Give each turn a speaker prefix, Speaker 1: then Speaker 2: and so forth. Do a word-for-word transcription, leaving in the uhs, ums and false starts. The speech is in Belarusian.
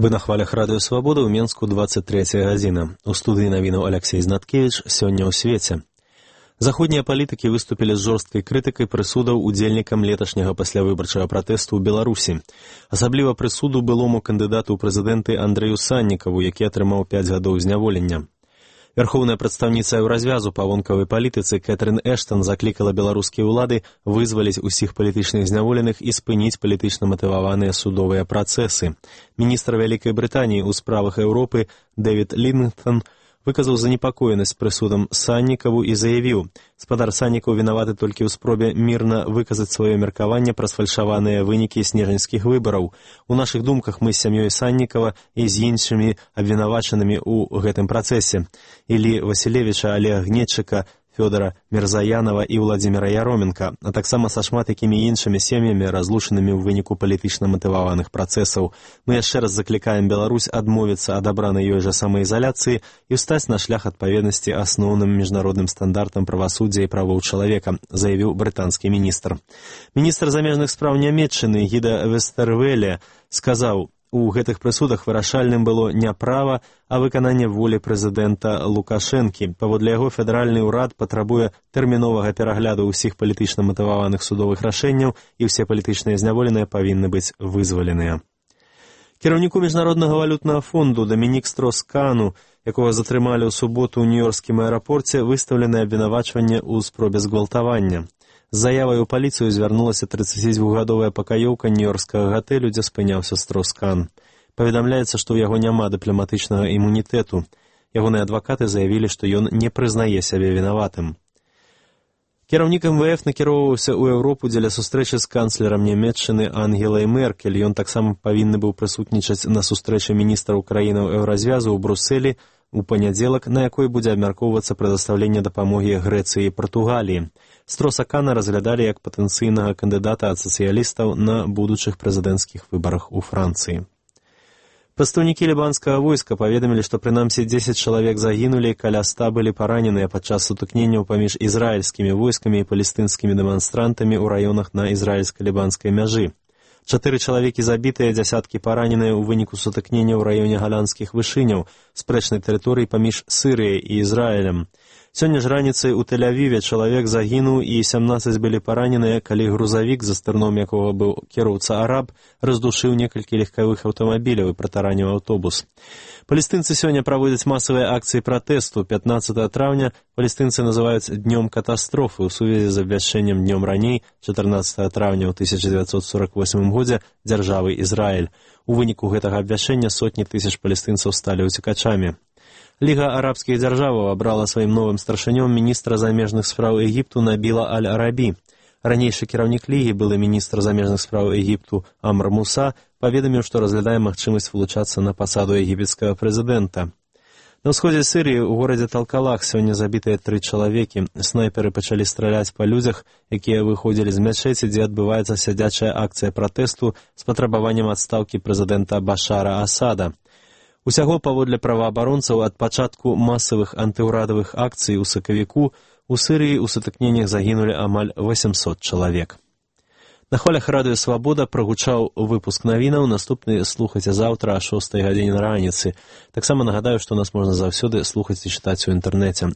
Speaker 1: Вы на хвалях Радыё Свабода, ў Менску дваццаць трэцяя гадзіна. У студыі навінаў Аляксей Знаткевіч, сёння ў свеце. Заходнія палітыкі выступілі з жорсткай крытыкай прысудаў удзельнікам леташняга паслявыбарчага пратэсту ў Беларусі. Асабліва прысуду былому кандыдату ў прэзідэнты Андрэю Саннікаву, які атрымаў пяць гадоў зняволення. Вярхоўная прадстаўніца Еўразвязу па вонкавай палітыцы Кэтрын Эштан заклікала беларускія ўлады вызваліць усіх палітычных зняволеных і спыніць палітычна матываваныя судовыя працэсы. Міністр Вялікай Брытаніі ў справах Еўропы Дэвід Лінгтон выказаў занепакоенасць прысудам Саннікаву і заявіў, спадар Саннікаў вінаваты толькі ў спробе мірна выказаць сваё меркаванне пра сфальшаваныя вынікі снежаньскіх выбараў. У нашых думках мы з сям'ёй Саннікава і з іншымі абвінавачанымі ў гэтым працэсе. Іллі Васілевіча, Алега Гнетчыка, Фёдора Мірзаянова і Владзіміра Яроменка, а таксама са шмат якімі іншымі сем'ямі, разлучанымі ў выніку палітычна матываваных працэсаў. Мы яшчэ раз заклікаем Беларусь адмовіцца ад абранай ёй жа самаізаляцыі і ўстаць на шлях адпаведнасці асноўным міжнародным стандартам правасуддзя і правоў чалавека, заявіў брытанскі міністр. Міністр замежных спраў Нямецчыны Гіда Вестэрвеле сказаў, у гэтых прысудах вырашальным было не права, а выкананне волі прэзідэнта Лукашэнкі. Паводле яго федэральны ўрад патрабуе тэрміновага перагляду ўсіх палітычна матываваных судовых рашэнняў і ўсе палітычныя зняволеныя павінны быць вызваленыя. Кіраўніку Міжнароднага валютнага фонду Дамінік Строскану, якога затрымалі ў суботу ў нью-йоркскім аэрапорце, выстаўленае абвінавачванне ў спробе згвалтавання. З заявай у паліцыю звярнулася трыццацідвухгадовая пакаёўка нью-йоркскага гатэлю, дзе спыняўся Строскан. Паведамляецца, што ў яго няма дыпламатычнага імунітэту. Ягоныя адвакаты заявілі, што ён не прызнае сябе вінаватым. Кіраўнік эм вэ эф накіроўваўся ў Еўропу дзеля сустрэчы з канцлерам Нямецчыны Ангелай Меркель. Ён таксама павінны быў прысутнічаць на сустрэчы міністраў краінаў Еўразвязу ў Брусэлі у панядзелак, на якой будзе абмяркоўвацца прадастаўленне дапамогі Грэцыі і Партугаліі. Стросакана разглядалі як патэнцыйнага кандыдата ад сацыялістаў на будучых прэзідэнцкіх выбарах у Францыі. Прадстаўнікі лібанскага войска паведамілі, што прынамсі дзесяць чалавек загінулі, каля ста былі параненыя падчас сутыкненняў паміж ізраільскімі войскамі і палестынскімі дэманстрантамі ў раёнах на ізраільска-лібанскай мяжы. Чатыры чалавекі забітыя, дзясяткі параненыя ў выніку сутыкнення ў раёне галандскіх вышыняў, спрэчнай тэрыторыі паміж Сырыяй і Ізраілем. Сёння ж раніцай у Тель-Авіве чалавек загінуў і сямнаццаць былі параненыя, калі грузавік, за стырном якога быў кіроўца араб, раздушыў некалькі легкавых аўтамабіляў і пратараніў аўтобус. Палестынцы сёння праводзяць масавыя акцыі пратэсту. пятнаццатага траўня палестынцы называюць днём катастрофы ў сувязі з абвяшчэннем днём раней, чатырнаццатага траўня ў тысяча дзевяцьсот сорак восьмым годзе, дзяржавы Ізраіль. У выніку гэтага абвяшчэння сотні тысяч палестынцаў сталі ўцекачамі. Ліга арабскіх дзяржаваў абрала сваім новым старшынём міністра замежных спраў Егіпту Набіла Аль-Арабі. Ранейшы кіраўнік лігі, былы міністр замежных спраў Егіпту Амр Муса, паведаміў, што разглядае магчымасць вылучацца на пасаду егіпецкага прэзідэнта. На ўсходзе Сырыі ў горадзе Талкалах сёння забітыя тры чалавекі. Снайперы пачалі страляць па людзях, якія выходзілі з мячэці, дзе адбываецца сядзячая акцыя пратэсту з патрабаваннем адстаўкі прэзідэнта Башара Асада. Усяго, паводле праваабаронцаў, ад пачатку масавых антыўрадавых акцый у сакавіку у Сырыі ў сутыкненнях загінулі амаль восемьсот чалавек. На хвалях Радыё Свабода прагучаў выпуск навінаў, наступны слухайце заўтра о шостай гадзіне раніцы. Таксама нагадаю, што нас можна заўсёды слухаць і чытаць у інтэрнэце.